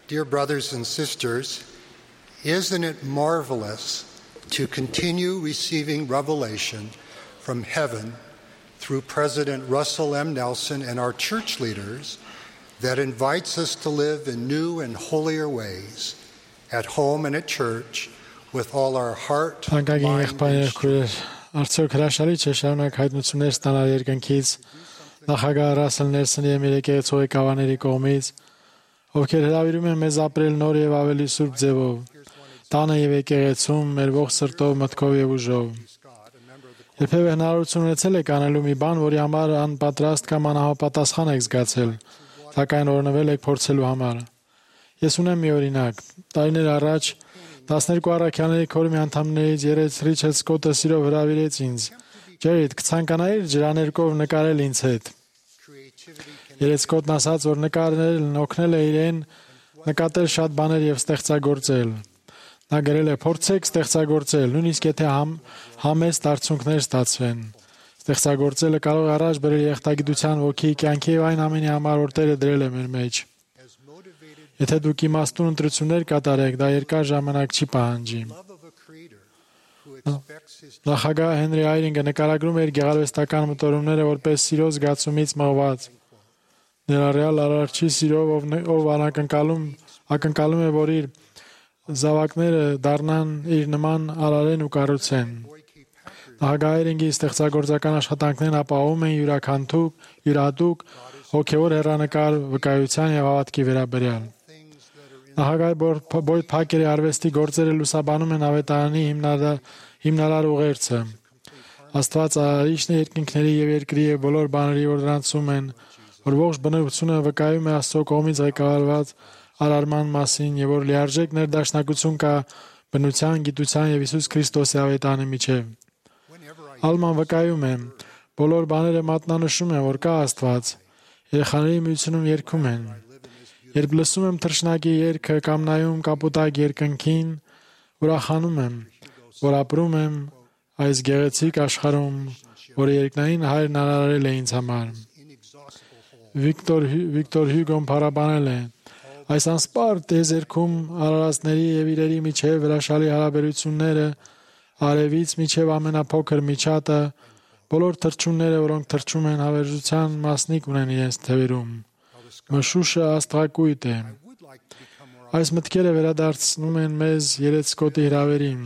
Dear brothers and sisters, isn't it marvelous to continue receiving revelation from heaven through President Russell M. Nelson and our church leaders that invites us to live in new and holier ways at home and at church with all our heart, mind, and strength. Արդյոք հրաշալի չէ շարունակ հայտնություններ ստանալ երկնքից նախագահ Ռասել Նելսոնի եւ եկեղեցու ղեկավարների կողմից, ովքեր հրավիրում են մեզ ապրել նոր եւ ավելի սուրբ ձևով, տանը եւ եկեղեցում, մեր ողջ սրտով, մտքով եւ ուժով։ Երբևէ հնարավորություն ունեցել եք անելու մի բան, որի համար անպատրաստ կամ անհապատասխան եք զգացել, սակայն օրնվել եք փորձելու համար։ Ես ունեմ մի օրինակ։ Տարիներ առաջ 12 առաքյալների քորմի անդամներից Ռիչարդ Սկոթը սիրով հրավիրեց ինձ. «Ջերիդ, կցանկանայիր ջրաներկով նկարել ինձ հետ»։ Սկոթն ասաց, որ նկարելն օգնել է իրեն նկատել շատ բաներ եւ ստեղծագործել։ Նա գրել է. «Փորձեք ստեղծագործել, նույնիսկ եթե համեստ արդյունքներ ստացվեն։ Ստեղծագործելը կարող է առաջ բերել երախտագիտության ոգի, կյանքի եւ այն ամենի համար, որ Տերը դրել է մեր մեջ։ Եթե դուք իմաստուն ընտրություններ կատարեք, դա երկար ժամանակ չի պահանջի»։ Նախագահ Հենրի Այրինգը նկարագրում էր գեղարվեստական մտորումները որպես սիրո զգացումից մղված։ Ներառյալ Արարչի սիրով, ով ակնկալում է, որ իր զավակները դառնան իր նման արարեն ու կառուցեն։ Նախագահ Այրինգի ստեղծագործական աշխատանքներն ապահովում են յուրահատուկ հոգևոր հեռանկար վկայության եւ հավատքի վերաբերյալ։ Նախագահ Բոյդ Փակերի արվեստի գործերը լուսաբանում են ավետարանի հիմնարար ուղերձը։ Աստված արարիչն է երկինքների եւ երկրի եւ բոլոր բաների, որ դրանցում են, որ ողջ բնությունը վկայում է Աստծո կողմից ղեկավարված արարման մասին եւ որ լիարժեք ներդաշնակություն կա բնության, գիտության եւ Հիսուս Քրիստոսի ավետարանի միջեւ։ Ալման վկայում է. բոլոր բաները մատնանշում են, որ կա Աստված։ Երեխաների միությունում երգում են. «Երբ լսում եմ թռչնակի երգը կամ նայում կապուտակ երկնքին, ուրախանում եմ, որ ապրում եմ այս գեղեցիկ աշխարհում, որը երկնային Հայրն արարել է ինձ համար»։ Վիկտոր Հյուգոն փառաբանել է. «Այս անսպառ տիեզերքում արարածների եւ իրերի միջեւ հրաշալի հարաբերությունները, արևից միջև ամենափոքր միջատը, բոլոր թռչունները, որոնք թռչում են, հավերժության մասնիկ ունեն իրենց թևերում։ Մշուշը աստղակույտ է»։ Այս մտքերը վերադարձնում են մեզ Սկոթի հրավերին։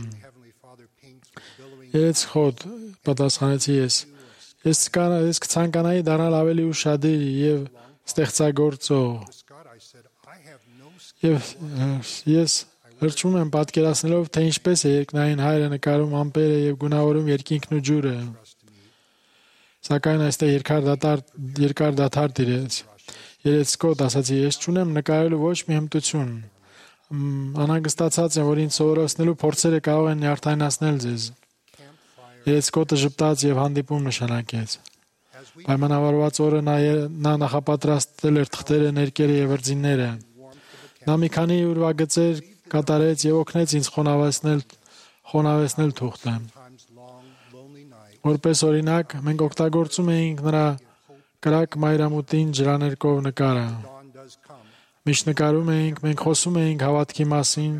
Սկոթ, պատասխանեցի ես։ Ես կցանկանայի դառնալ ավելի ուշադիր եւ ստեղծագործող։ Եվ ես լրջում եմ պատկերացնելով, թե ինչպես է երկնային Հայրը նկարում ամպերը եւ գունավորում երկինքն ու ջուրը։ Սակայն այստեղ երկար դադար տիրեց։ Սկոթ ասացի, ես չունեմ նկարելու ոչ մի հմտություն։ Անհանգստացած եմ, որ ինձ սովորեցնելու փորձերը կարող են նյարդայնացնել ձեզ։ Սկոթը ժպտաց եւ հանդիպում նշանակեց։ Պայմանավորված օրը նա նախապատրաստել էր թղթերը, ներկերը եւ վրձինները։ Նա մի քանի ուրվագծեր կատարեց եւ օգնեց ինձ խոնավեցնել թուղթը։ Որպես օրինակ, մենք օգտագործում էինք նրա կրակ մայրամուտին ջրաներկով նկարը։ Միշտ նկարում էինք, մենք խոսում էինք հավատքի մասին,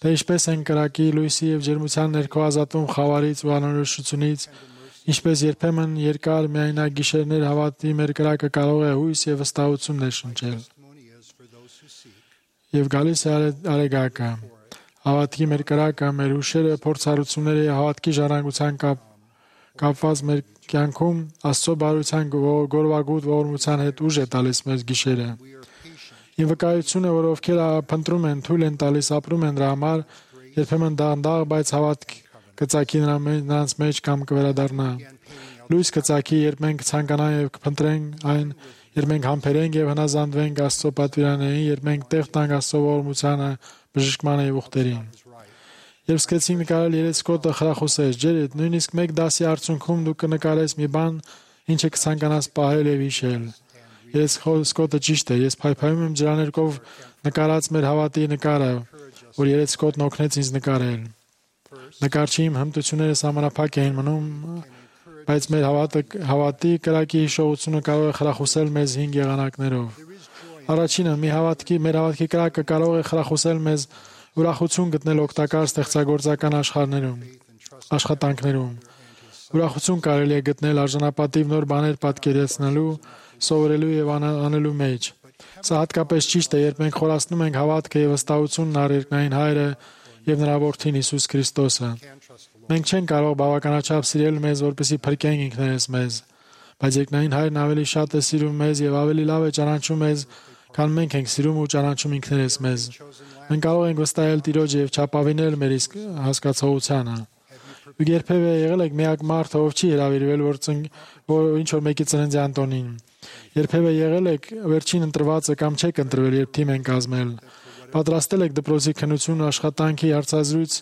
թե ինչպես են կրակի, լույսի եւ ջերմության ներքո ազատում խավարից ու անորոշությունից, ինչպես երբեմն երկար միայնակ գիշերներ հավատի մեր կրակը կարող է հույս եւ վստահություն ներշնչել։ Եվ գալիս է արեգակը։ Հավատքի մեր կրակը, մեր հուշերը, փորձառությունները եւ հավատքի ժառանգության կապված մեր կյանքում Աստծո բարության գորվագուտ ողորմության հետ ուժ է տալիս մեր գիշերը։ Իմ վկայությունը, որ ովքեր փնտրում են, թույլ են տալիս, ապրում են դրա համար, երբեմն դանդաղ, բայց հավատք կծակի նրանց մեջ կամ կվերադառնա։ Լույս կծակի, երբ մենք ցանկանանք եւ կփնտրենք այն, երբ մենք համբերենք եւ հնազանդվենք Աստծո պատվիրաններին, երբ մենք տեղ տանք Աստծո ողորմությանը, բժշկմանը եւ ուխտերին։ Երբ սկսեցինք նկարել Սկոթը խրախուսեց. «Ջերիդ, նույնիսկ մեկ դասի արդյունքում դու կնկարես մի բան, ինչը կցանկանաս պահել եւ հիշել»։ Սկոթը ճիշտ է, ես փայփայում եմ ջրաներկով նկարած մեր հավատի նկարը, որ Սկոթն օգնեց ինձ նկարել։ Նկարչի իմ հմտությունները սահմանափակ էին մնում, բայց մեր հավատի կրակի հիշողությունը կարող է խրախուսել մեզ 5 եղանակներով։ Առաջինը, մեր հավատքի կրակը կարող է խրախուսել մեզ ուրախություն գտնել օգտակար ստեղծագործական աշխատանքներում։ Ուրախություն կարելի է գտնել արժանապատիվ նոր բաներ պատկերացնելու, սովորելու եւ անելու մեջ։ Սա հատկապես ճիշտ է, երբ մենք խորացնում ենք հավատքը եւ վստահությունն առ երկնային Հայրը եւ նրա Որդին Հիսուս Քրիստոսը։ Մենք չենք կարող բավականաչափ սիրել մեզ, որպեսզի փրկենք ինքներս մեզ, բայց երկնային Հայրն ավելի շատ է սիրում մեզ եւ ավելի լավ է ճանաչում մեզ, քան մենք ենք սիրում ու ճանաչում ինքներս մեզ։ Մենք կարող ենք վստահել Տիրոջը եւ չափավինել մեր իսկ հասկացողությանը։ Դուք երբևէ եղել եք միակ մարդը, ով չի հրավիրվել, որ ինչ որ մեկի ծննդյան տոնին։ Երբևէ եղել եք վերջին ընտրվածը կամ չեք ընտրվել, երբ թիմ են կազմել։ Պատրաստել եք դպրոցի քննություն, աշխատանքի հարցազրույց,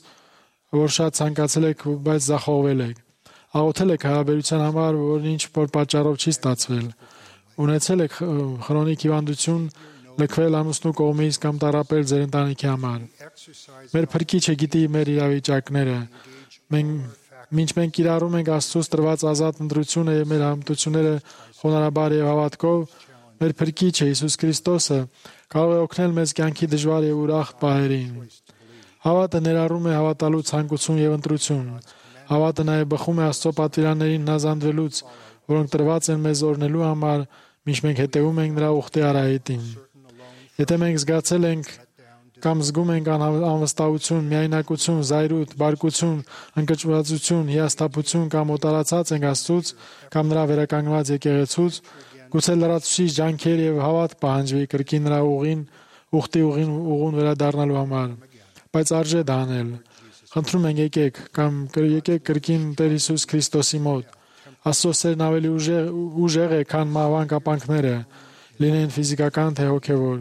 որ շատ ցանկացել եք, բայց ձախողվել եք։ Աղոթել եք հարաբերության համար, որն ինչ որ պատճառով չի ստացվել։ Ունեցել եք քրոնիկ հիվանդություն, լքվել ամուսնու կողմից կամ տառապել ձեր ընտանիքի համար։ Մեր Փրկիչը գիտի մեր իրավիճակները։ Մինչ մենք կիրառում ենք Աստծուց տրված ազատ ընտրությունը եւ մեր համտությունները խոնարհաբար եւ հավատքով, մեր Փրկիչը Հիսուս Քրիստոսը կարող է օգնել մեզ կյանքի դժվար եւ ուրախ պահերին։ Հավատը ներառում է հավատալու ցանկություն եւ ընտրություն։ Հավատը նաեւ բխում է Աստծո պատվիրաններին հնազանդվելուց, որոնք տրված են մեզ օրհնելու համար, մինչ մենք հետևում ենք նրա ուխտի արահետին։ Եթե մենք զգացել ենք կամ զգում ենք անվստահություն, միայնակություն, զայրույթ, բարկություն, ընկճվածություն, հիասթափություն կամ օտարացած ենք Աստծուց կամ նրա վերականգնված եկեղեցուց, գուցե լրացուցիչ ջանքեր եւ հավատ պահանջվի կրկին նրա ուխտի ուղուն վերադառնալու համար, բայց արժե դա անել։ Խնդրում ենք եկեք կրկին Տեր Հիսուս Քրիստոսի մոտ։ Աստծո սերն ավելի ուժեղ է, քան մահվան կապանքները, լինեն ֆիզիկական թե հոգևոր։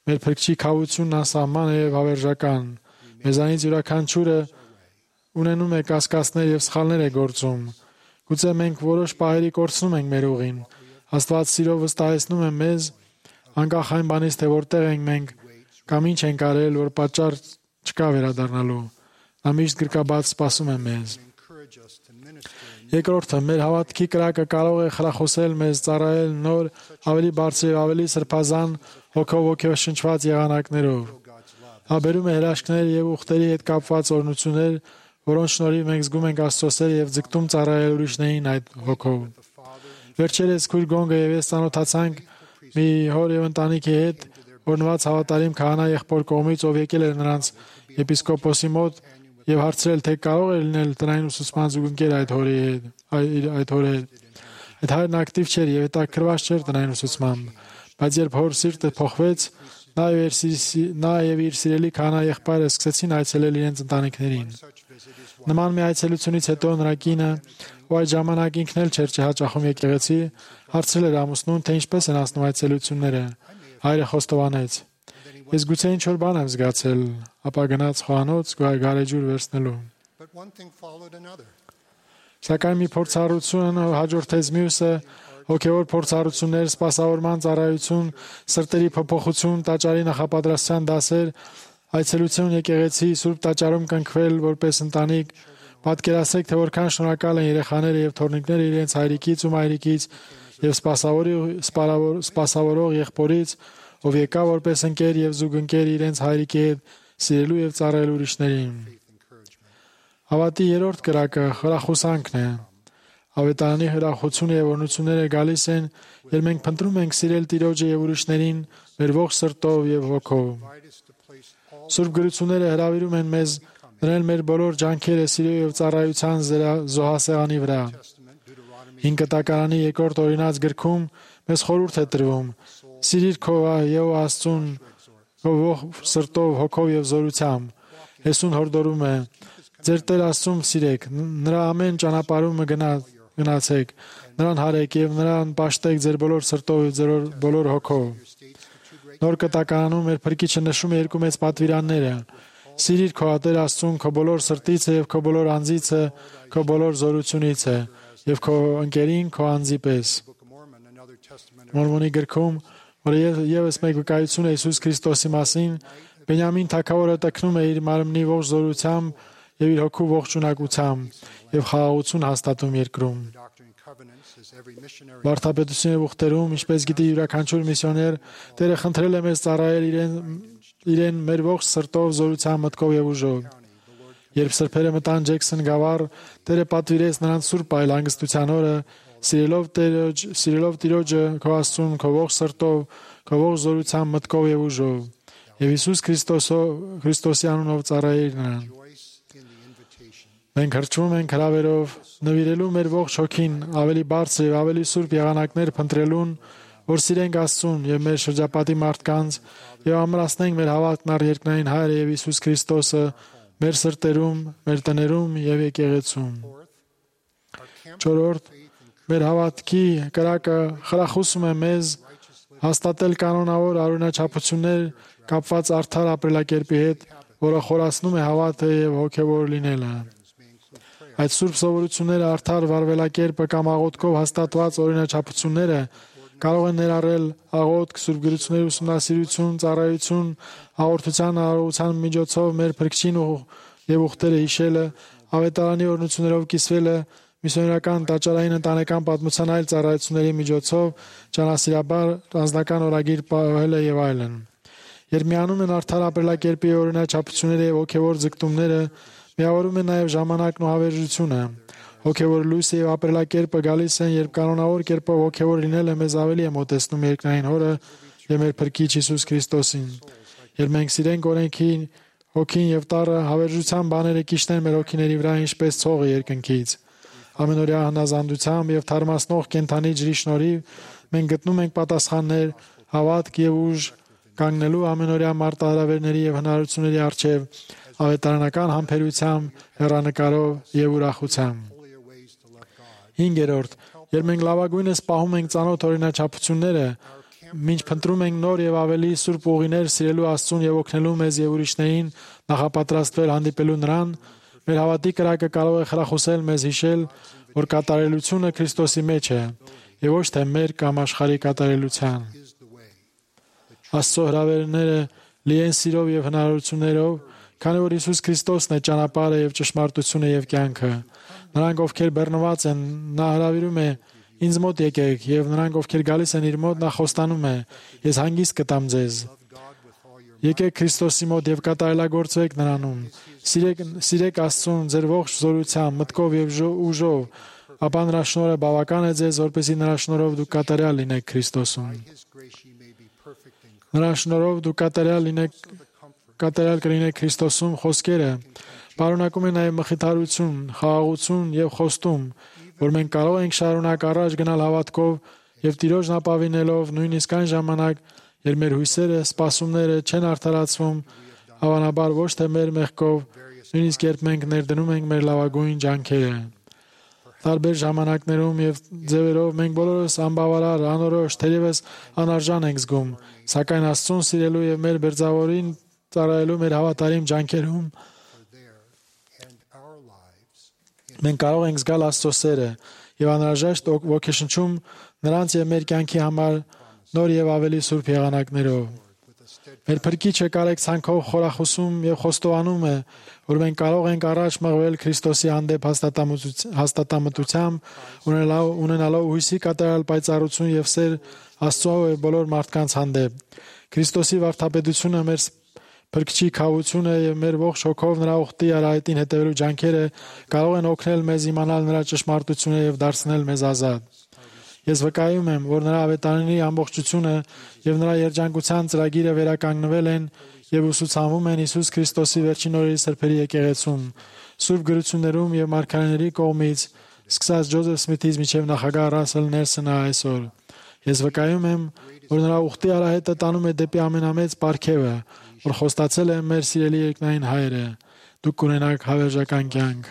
Մեր Փրկչի քավությունն անսահման է եւ հավերժական։ Մեզանից յուրաքանչյուրը ունենում է կասկածներ եւ սխալներ է գործում։ Գուցե մենք որոշ պահերի կորցնում ենք մեր ուղին։ Աստված սիրով վստահեցնում է մեզ, անկախ այն բանից, թե որտեղ ենք մենք կամ ինչ ենք արել, որ պատճառ չկա վերադառնալու։ Նա միշտ գրկաբաց սպասում է մեզ։ Երկրորդը, մեր հավատքի կրակը կարող է խրախուսել մեզ ծառայել նոր, ավելի բարձր եւ ավելի սրբազան հոգեշնչված եղանակներով։Աբերում է հրաշքներ եւ ուխտերի հետ կապված օրհնություններ, որոնց շնորհիվ մենք զգում ենք Աստծո սերը եւ ձգտում ծառայել ուրիշներին այդ հոգով։ Վերջերս քույր Գոնգը եւ ես ծանոթացանք մի հոր եւ ընտանիքի հետ, օրնված հավատարիմ քահանա եղբոր կողմից, ով եկել էր նրանց եպիսկոպոսի մոտ եւ հարցրել, թե կարող է լինել տնային ուսուցման զուգընկեր այդ հորի հետ։ Այդ հայրն ակտիվ չէր եւ հետաքրված չէր տնային ուսուցմամբ, բայց երբ հոր սիրտը փոխվեց, նա եւ իր սիրելի քահանա եղբայրը սկսեցին այցելել իրենց ընտանիքներին։ Նման մի այցելությունից հետո նրա կինը, ով այդ ժամանակ ինքն էլ չէր հաճախում եկեղեցի, հարցրել էր ամուսնուն, թե ինչպես են անցնում այցելությունները։ Հայրը խոստովանեց. Ես գուցե ինչ-որ բան եմ զգացել, ապա գնաց խոհանոց գարեջուր վերցնելու։ Սակայն մի փորձառություն հաջորդեց մյուսը, հոգևոր փորձառություններ, սպասավորման ծառայություն, սրտերի փոփոխություն, տաճարի նախապատրաստության դասեր, այցելություն եկեղեցի, Սուրբ տաճարում կնքվել որպես ընտանիք։ Պատկերացրեք, թե որքան շնորհակալ են երեխաները եւ թոռնիկները իրենց հայրիկից ու մայրիկից եւ սպասավորող եղբորից, ով եկա որպես ընկեր եւ զուգընկեր իրենց հայրիկի հետ սիրելու եւ ծառայելու ուրիշներին։ Հավատի երրորդ կրակը խրախուսանքն է։ Ավետարանի հրախուսությունը եւ օրհնությունները գալիս են, երբ մենք փնտրում ենք սիրել Տիրոջը եւ ուրիշներին մեր ողջ սրտով եւ հոգով։ Սուրբ գրությունները հրավիրում են մեզ դնել մեր բոլոր ջանքերը սիրո եւ ծառայության զոհասեղանի վրա։ 5 Կտակարանի 2-րդ օրինաց գրքում մեզ խորհուրդ է տրվում. Սիրիր քո եւ Աստծուն քո ողջ սրտով, հոգով եւ զորությամբ։ Հեսուն հորդորում է. Ձեր Տեր Աստծուն սիրեք, նրա ամեն ճանապարհումը գնացեք, նրան հարեք եւ նրան պաշտեք ձեր բոլոր սրտով եւ ձեր բոլոր հոգով։ Նոր Կտակարանում մեր Փրկիչը նշում է երկու մեծ պատվիրանները. Սիրիր քո Տեր Աստծուն քո բոլոր սրտից եւ քո բոլոր անձից, քո բոլոր զորությունից եւ քո ընկերին քո անձի պես։ Մորմոնի գրքում, որը եւս մեկ վկայություն է Հիսուս Քրիստոսի մասին, Բենյամին թագավորը տքնում է իր մարմնի ողջ զորությամբ եւ իր հոգու ողջ ունակությամբ եւ խաղաղություն հաստատում երկրում։ Վարդապետության եւ ուխտերում, ինչպես գիտի յուրաքանչյուր միսիոներ, Տերը խնդրել է մեզ ծառայել իրեն մեր ողջ սրտով, զորությամբ, մտքով եւ ուժով։ Երբ սրբերը մտան Ջեքսոն գավառ, Տերը պատվիրեց նրանց սուրբ այլ հանգստության օրը, սիրելով Տիրոջը քո Աստծուն, քո ողջ սրտով, քո ողջ զորությամբ, մտքով եւ ուժով։ Եվ Հիսուս Քրիստոսի անունով ծառայիր նրան։ Մենք հրճվում ենք հրավերով նվիրելու մեր ողջ հոգին ավելի բարձր եւ ավելի սուրբ եղանակներ փնտրելուն, որ սիրենք Աստծուն եւ մեր շրջապատի մարդկանց եւ ամրացնենք մեր հավատքն առ երկնային Հայրը եւ Հիսուս Քրիստոսը մեր սրտերում, մեր տներում եւ եկեղեցում։ 4. Մեր հավատքի կրակը խրախուսում է մեզ հաստատել կանոնավոր արունաչափություններ կապված արդար ապրելակերպի հետ, որը խորացնում է հավատը եւ հոգեվոր լինելը։ Այդ սուրբ սովորությունները արդար վարվելակերպը կամ աղոթքով հաստատված օրինաչափությունները կարող են ներառել աղոթք, սուրբ գրությունների ուսումնասիրություն, ծառայություն, հաղորդության արարողության միջոցով մեր Փրկչին եւ ուխտերը հիշելը, ավետարանի օրհնություններով կիսվելը, միսիոներական տաճարային ընտանեկան պատմության այլ ծառայությունների միջոցով ճանասիրաբար անձնական օրագիր պահելը եւ այլն։ Երբ միանում են արդար ապրելակերպի օրինաչափությունները եւ հոգեվոր ձգտումները, միավորում է նաև ժամանակն ու հավերժությունը։ Հոգևոր լույսը եւ ապրելակերպը գալիս են, երբ կանոնավոր կերպով հոգևոր լինելը մեզ ավելի է մոտեցնում երկնային Հորը եւ մեր Փրկիչ Հիսուս Քրիստոսին։ Երբ մենք սիրենք օրենքին, հոգին եւ տառը, հավերժության բաները կիշտեն մեր հոգիների վրա ինչպես ցողը երկնքից։ Ամենօրյա հնազանդությամբ եւ թարմացնող կենթանի ջրի շնորհիվ մենք գտնում ենք պատասխաններ, հավատք եւ ուժ կանգնելու ամենօրյա մարտահրավերների եւ հնարավորությունների առջեւ ավետարանական համբերությամբ, հեռանկարով եւ ուրախությամբ։ 5. Երբ մենք լավագույնս պահում ենք ծանոթ օրինաչափությունները, մինչ փնտրում ենք նոր եւ ավելի սուրբ ուղիներ սիրելու Աստծուն եւ օգնելու մեզ եւ ուրիշներին նախապատրաստվել հանդիպելու նրան, մեր հավատի կրակը կարող է խրախուսել մեզ հիշել, որ կատարելությունը Քրիստոսի մեջ է եւ ոչ թե մեր կամ աշխարհի կատարելության։ Աստծո հրավերները լի են սիրով եւ հնարավորություններով, քանի որ Հիսուս Քրիստոսն է ճանապարհը եւ ճշմարտությունը եւ կյանքը։ Նրանք, ովքեր բեռնված են, նա հրավիրում է. «Ինձ մոտ եկեք», եւ նրանք, ովքեր գալիս են իր մոտ, նա խոստանում է. «Ես հանգիստ կտամ ձեզ»։ Եկեք Քրիստոսի մոտ եւ կատարելագործվեք նրանում։ Սիրեք Աստծուն ձեր ողջ զորությամբ, մտքով եւ ուժով, ապա նրա շնորհը բավական է ձեզ, որպեսզի նրա շնորհով դուք կատարյալ լինեք Քրիստոսում։ Նրա շնորհով դուք կատարյալ կլինեք Քրիստոսում խոսքերը պարունակում են նաև մխիթարություն, խաղաղություն եւ խոստում, որ մենք կարող ենք շարունակ առաջ գնալ հավատքով եւ Տիրոջն ապավինելով նույնիսկ այն ժամանակ, երբ մեր հույսերը, սպասումները չեն արդարացվում, հավանաբար ոչ թե մեր մեղքով, նույնիսկ երբ մենք ներդնում ենք մեր լավագույն ջանքերը։ Տարբեր ժամանակներում եւ ձևերով մենք բոլորս անբավարար, անորոշ, թերևս անարժան ենք զգում, սակայն Աստծուն սիրելու եւ մեր Բերձավորին ծառայելու մեր հավատարիմ ջանքերում մենք կարող ենք զգալ Աստծո սերը եւ անհրաժեշտ ոգեշնչում նրանց եւ մեր կյանքի համար նոր եւ ավելի սուրբ եղանակներով։ Մեր Փրկիչը կարեկցանքով խորախուսում եւ խոստովանում է, որ մենք կարող ենք առաջ մղվել Քրիստոսի հանդեպ հաստատամտությամբ, ունենալով հույսի կատարյալ պայծառություն եւ սեր Աստծո եւ բոլոր մարդկանց հանդեպ։ Քրիստոսի վարդապետությունը, մեր Փրկչի քավությունը եւ մեր ողջ հոգով նրա ուխտի արահետին հետևելու ջանքերը կարող են օգնել մեզ իմանալ նրա ճշմարտությունը եւ դարձնել մեզ ազատ։ Ես վկայում եմ, որ նրա ավետարանի ամբողջությունը եւ նրա երջանկության ծրագիրը վերականգնվել են եւ ուսուցանվում են Հիսուս Քրիստոսի վերջին օրերի սրբերի եկեղեցում, Սուրբ գրություններում եւ մարգարեների կողմից, սկսած Ջոզեֆ Սմիթից մինչեւ նախագահ Ռասել Նելսոնը այսօր։ Ես վկայում եմ, որ նրա ուխտի արահետը տանում է դեպի ամենամեծ պարգևը, որ խոստացել է մեր սիրելի երկնային Հայրը։ Դուք կունենաք հավերժական կյանք։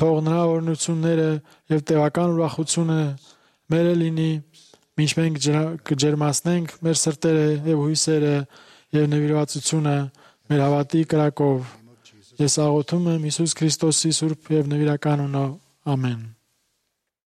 Թող նրա օրհնությունները եւ տևական ուրախությունը մերը լինի, մինչ մենք կջերմացնենք մեր սրտերը եւ հույսերը եւ նվիրվածությունը մեր հավատի կրակով։ Ես աղոթում եմ Հիսուս Քրիստոսի սուրբ եւ նվիրական անունով։ Ամեն։